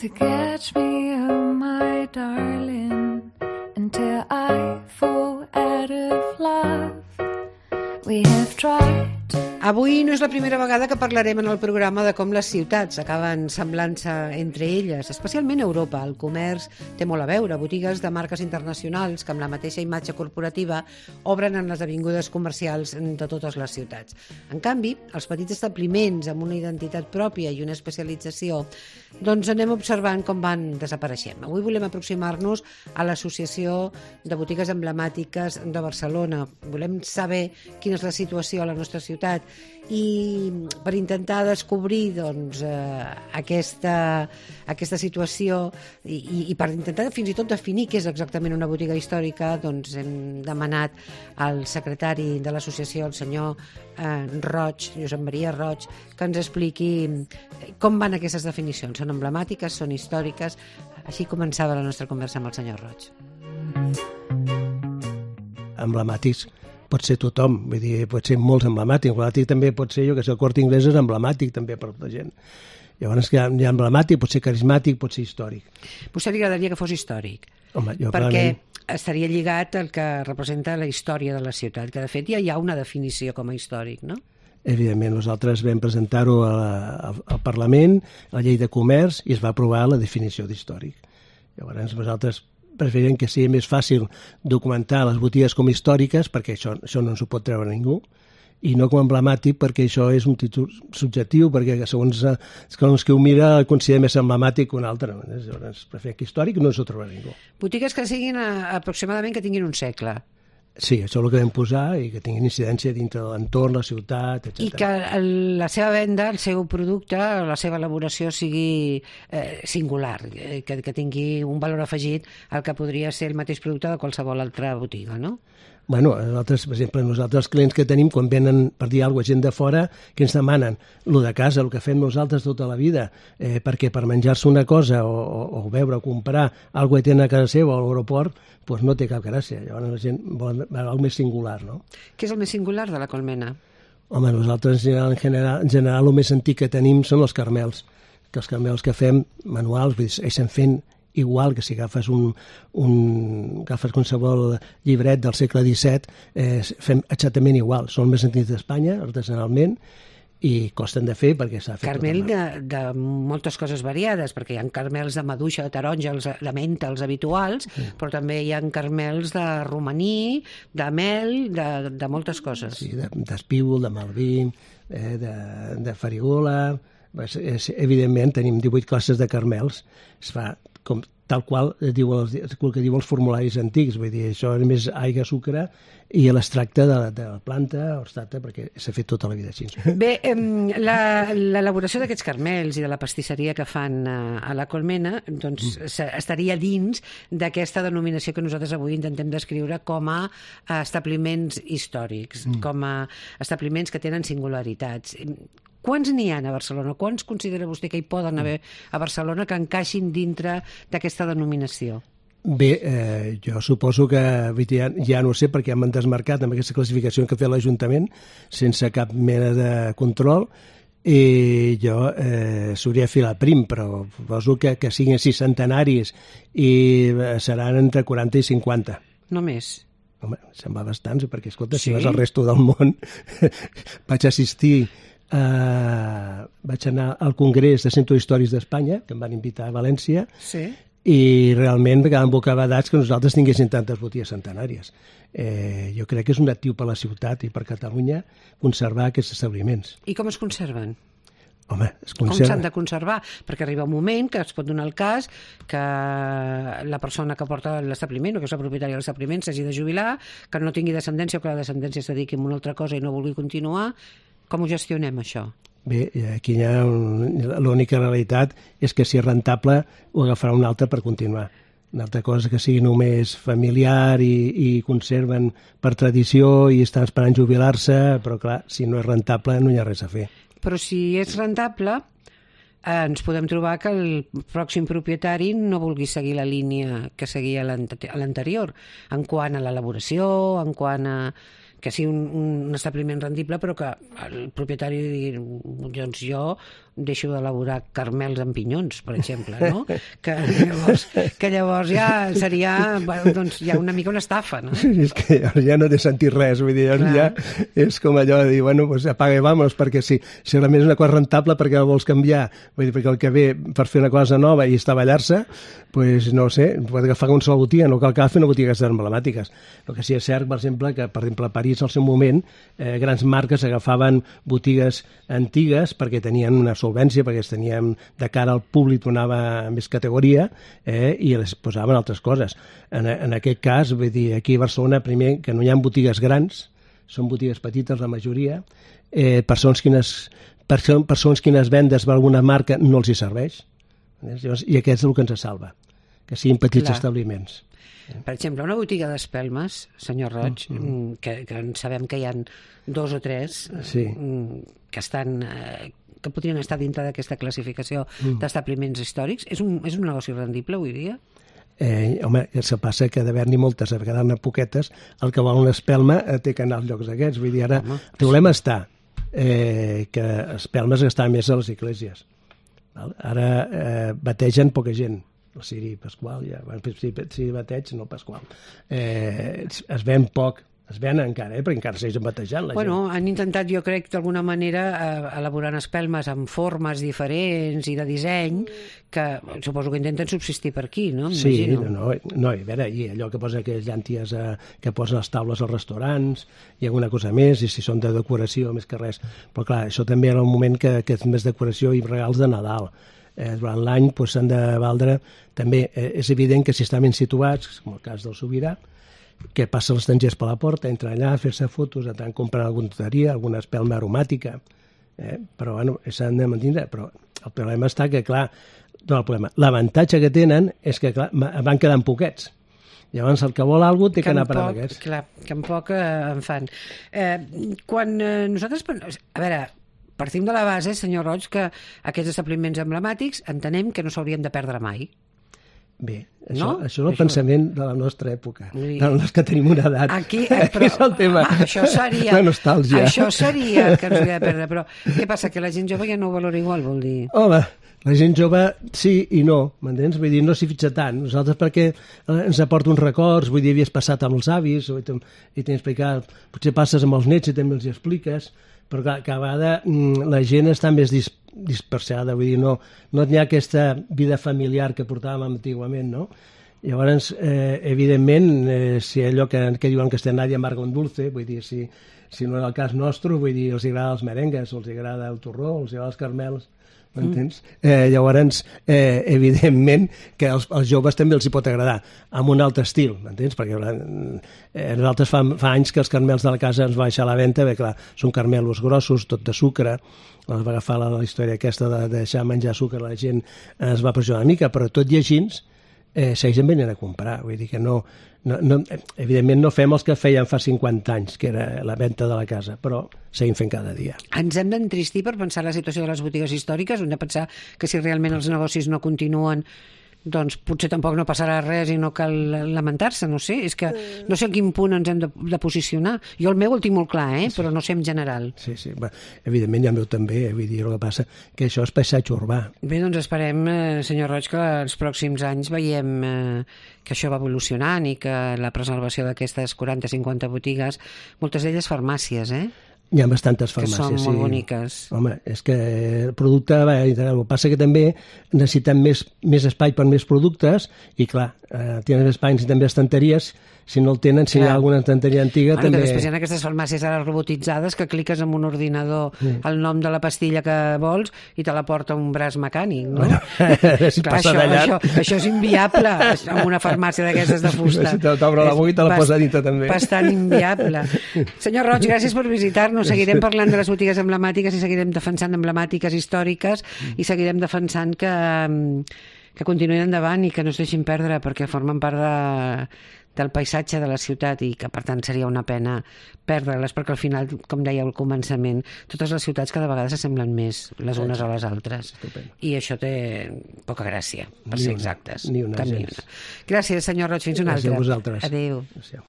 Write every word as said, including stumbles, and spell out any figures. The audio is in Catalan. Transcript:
to catch me, oh my darling, until I fall out of love. We have tried. Avui no és la primera vegada que parlarem en el programa de com les ciutats acaben semblant-se entre elles, especialment a Europa. El comerç té molt a veure. Botigues de marques internacionals que amb la mateixa imatge corporativa obren en les avingudes comercials de totes les ciutats. En canvi, els petits establiments amb una identitat pròpia i una especialització, doncs anem observant com van desapareixent. Avui volem aproximar-nos a l'Associació de Botigues Emblemàtiques de Barcelona. Volem saber quina és la situació a la nostra ciutat i per intentar descobrir doncs, eh, aquesta, aquesta situació i, i per intentar fins i tot definir què és exactament una botiga històrica, doncs hem demanat al secretari de l'associació, el senyor eh, Roig, Josep Maria Roig, que ens expliqui com van aquestes definicions. Són emblemàtiques, són històriques? Així començava la nostra conversa amb el senyor Roig. Emblemàtics pot ser tothom, vull dir, pot ser molts emblemàtics. Emblemàtic també pot ser, jo que sé, el Corte Inglés és emblemàtic també per tota gent. Llavors, que hi ha emblemàtic, pot ser carismàtic, pot ser històric. A vostè li agradaria que fos històric? Home, jo perquè realment... estaria lligat al que representa la història de la ciutat, que de fet ja hi ha una definició com a històric, no? Evidentment, nosaltres vam presentar-ho al Parlament, a la llei de comerç, i es va aprovar la definició d'històric. Llavors, nosaltres preferim que sigui més fàcil documentar les botigues com històriques, perquè això, això no s'ho pot treure ningú, i no com emblemàtic, perquè això és un títol subjectiu, perquè segons, segons qui ho mira considera més emblemàtic que un altre. Llavors, preferim que històric no s'ho trobarà ningú. Botigues que siguin a, aproximadament que tinguin un segle. Sí, això és el que vam posar i que tinguin incidència dintre de l'entorn, la ciutat, etcètera. I que el, la seva venda, el seu producte, la seva elaboració sigui eh, singular, eh, que, que tingui un valor afegit al que podria ser el mateix producte de qualsevol altra botiga, no? Bueno, nosaltres, per exemple, nosaltres els clients que tenim, quan venen per dir alguna cosa, gent de fora, que ens demanen lo de casa, el que fem nosaltres tota la vida, eh, perquè per menjar-se una cosa o, o, o veure o comprar alguna que tenen a casa seva o a l'aeroport, doncs no té cap gràcia. Llavors la gent vol alguna més singular, no? Què és el més singular de la colmena? Home, nosaltres en general, en general el més antic que tenim són els carmels, que els carmels que fem manuals, vull dir, segueixen fent igual que si agafes un, un agafes qualsevol llibret del segle disset, eh, fem exactament igual. Són els més antics d'Espanya, artesanalment, i costen de fer perquè s'ha fet... Carmel de, de moltes coses variades, perquè hi ha carmels de maduixa, de taronja, els, de menta, els habituals, sí. Però també hi ha carmels de romaní, de mel, de, de moltes coses. Sí, d'espígol, de malví, eh, de, de farigola... Evidentment, tenim divuit classes de carmels. Es fa com, tal qual diu els, el que diu els formularis antics. Vull dir, això és més aigua, sucre i l'extracte de, de la planta o extracte, perquè s'ha fet tota la vida així. Bé, l'elaboració d'aquests carmels i de la pastisseria que fan a la colmena doncs, mm. estaria dins d'aquesta denominació que nosaltres avui intentem descriure com a establiments històrics, mm. com a establiments que tenen singularitats. Quants n'hi ha a Barcelona? Quants considera vostè que hi poden haver a Barcelona que encaixin dintre d'aquesta denominació? Bé, eh, jo suposo que ja, ja no ho sé perquè ja m'han desmarcat amb aquesta classificació que ha fet l'Ajuntament sense cap mena de control i jo eh, s'hauria de fer la prim, però suposo que, que siguin sis centenaris i seran entre quaranta i cinquanta. Només? Home, se'n va bastants, perquè escolta, sí? Si vas al resto del món vaig assistir Uh, vaig anar al Congrés de Centres Històrics d'Espanya, que em van invitar a València, sí. I realment quedaven bocabadats que nosaltres tinguéssim tantes botigues centenàries. Eh, jo crec que és un actiu per la ciutat i per Catalunya conservar aquests establiments. I com es conserven? Home, es conserva... Com s'han de conservar? Perquè arriba un moment que es pot donar el cas que la persona que porta l'establiment o que és la propietària de l'establiment s'hagi de jubilar, que no tingui descendència o que la descendència es dediqui a una altra cosa i no vulgui continuar. Com ho gestionem, això? Bé, aquí hi ha un... l'única realitat és que si és rentable ho agafarà un altre per continuar. Una altra cosa que sigui només familiar i, i conserven per tradició i estan esperant jubilar-se, però clar, si no és rentable no hi ha res a fer. Però si és rentable, eh, ens podem trobar que el pròxim propietari no vulgui seguir la línia que seguia l'anterior, en quant a l'elaboració, en quant a... que sigui un, un establiment rendible, però que el propietari digui, doncs jo deixo d'elaborar carmels amb pinyons, per exemple, no? Que llavors, que llavors ja seria, bueno, doncs, ja una mica una estafa, no? És que ja no té sentit res, vull dir, ja és com allò de dir, bueno, pues apaga i vámonos, perquè si, si realment és una cosa rentable, perquè la vols canviar, vull dir, perquè el que ve per fer una cosa nova i estavellar-se, pues no sé, pot agafar una sola botiga, no cal que agafi una botiga emblemàtiques. El que sí és cert, per exemple, que per exemple a París al seu moment eh, grans marques agafaven botigues antigues perquè tenien una solvència, perquè es tenien de cara al públic donava més categoria eh, i les posaven altres coses. En, en aquest cas, vull dir, aquí a Barcelona, primer, que no hi ha botigues grans, són botigues petites la majoria, eh, persones quines, persones quines vendes per alguna marca no els hi serveix, i aquest és el que ens salva, que siguin petits Clar. establiments. Per exemple, una botiga d'espelmes, senyor Roig, mm-hmm. que, que sabem que hi ha dos o tres sí. que estan eh, que podrien estar dintre d'aquesta classificació mm. d'establiments històrics. És un, és un negoci rendible avui dia? Eh, home, se passa que d'haver-n'hi moltes, a quedar-ne poquetes, el que vol una espelma eh, té que anar als llocs aquests. Vull dir, ara, home. el problema està eh, que espelmes estan més a les esglésies. Ara eh, bategen poca gent, el Ciri Pasqual, ja, si, si bateig, no Pasqual. Eh, es ven poc, es ven encara, eh, perquè encara segueixen batejant la bueno, gent. Han intentat, jo crec, d'alguna manera eh, elaborant espelmes amb formes diferents i de disseny, que suposo que intenten subsistir per aquí, no? Sí, no, no, no, a veure, i allò que posa aquelles llànties eh, que posen les taules als restaurants, i alguna cosa més, i si són de decoració, més que res. Però clar, això també era un moment que, que és més decoració i regals de Nadal. Eh, durant l'any pues, s'han de valdre, també eh, és evident que si estan ben situats, com el cas del Sobirà, que passen els estrangers per la porta, entren allà a fer-se fotos, a tant comprar alguna tonteria, alguna espelma aromàtica, eh? però bueno, s'han de mantenir, però el problema està que, clar, no el problema, l'avantatge que tenen és que, clar, van quedant poquets. Llavors, el que vol alguna cosa té que, que anar per aquests. Clar, que en poc eh, en fan. Eh, quan eh, nosaltres... A veure, partim de la base, senyor Roig, que aquests establiments emblemàtics entenem que no s'haurien de perdre mai. Bé, això, no? això és el això... pensament de la nostra època, dir... dels que tenim una edat. Aquí, eh, però, és el tema. Ah, això seria, la nostàlgia. Això seria que ens hauria de perdre, però què passa, que la gent jove ja no ho valora igual, vol dir? Home, la gent jove sí i no, m'entens? Vull dir, no s'hi fitxa tant. Nosaltres perquè ens aporta uns records, vull dir, havies passat amb els avis, i t'he explicat, potser passes amb els nets i també els hi expliques, però clar, cada vegada la gent està més dis dispersada, vull dir, no, no hi ha aquesta vida familiar que portàvem antigament, no? Llavors, eh, evidentment, eh, si allò que, que diuen que estem nadie amarga un dulce, vull dir, si, si no és el cas nostre, vull dir, els agrada els merengues, els agrada el torró, els agrada els carmels, m'entens? Mm. Eh, llavors, eh, evidentment que als, als joves també els hi pot agradar, amb un altre estil, m'entens? Perquè eh, nosaltres fa, fa anys que els carmels de la casa ens va baixar a la venda, bé, clar, són carmelos grossos, tot de sucre, els va agafar la, la història aquesta de, de deixar menjar sucre, la gent es va pressionar una mica, però tot i així eh, segueixen venint a comprar, vull dir que no, no, no, evidentment no fem els que feien fa cinquanta anys, que era la venda de la casa, però seguim fent cada dia. Ens hem d'entristir per pensar la situació de les botigues històriques, hem de pensar que si realment els negocis no continuen, doncs potser tampoc no passarà res i no cal lamentar-se, no sé, és que no sé a quin punt ens hem de, de posicionar. Jo el meu el tinc molt clar, eh? Però no sé en general. Sí, sí, bé, evidentment ja el meu també, eh? Vull dir, el que passa que això és paisatge urbà. Bé, doncs esperem, eh, senyor Roig, que els pròxims anys veiem eh, que això va evolucionant i que la preservació d'aquestes quaranta a cinquanta botigues, moltes d'elles farmàcies, eh? Hi ha bastantes farmàcies, que són sí. molt boniques. Home, és que el producte va integrar. El que passa que també necessitem més, més espai per més productes i, clar, eh, tenen espai, necessitem més estanteries. Si no el tenen, si clar. Hi ha alguna estanteria antiga, bueno, també... Després hi ha aquestes farmàcies ara robotitzades que cliques amb un ordinador sí. el nom de la pastilla que vols i te la porta un braç mecànic, no? Bueno, si clar, això, això, això és inviable en una farmàcia d'aquestes de fusta. Si t'obre la boca i te la posa dintre també. Bastant inviable. Senyor Roig, gràcies per visitar-nos. Seguirem parlant de les botigues emblemàtiques i seguirem defensant emblemàtiques històriques i seguirem defensant que, que continuïn endavant i que no es deixin perdre perquè formen part de, del paisatge de la ciutat i que per tant seria una pena perdre-les perquè al final, com deia al començament, totes les ciutats cada vegada s'assemblen més les unes a les altres. Estupendo. I això té poca gràcia, per ni ser una, exactes. Ni una, ni una. Gràcies, senyor Roig, fins una altra. altra. Gràcies a vosaltres. Adéu. Gràcies.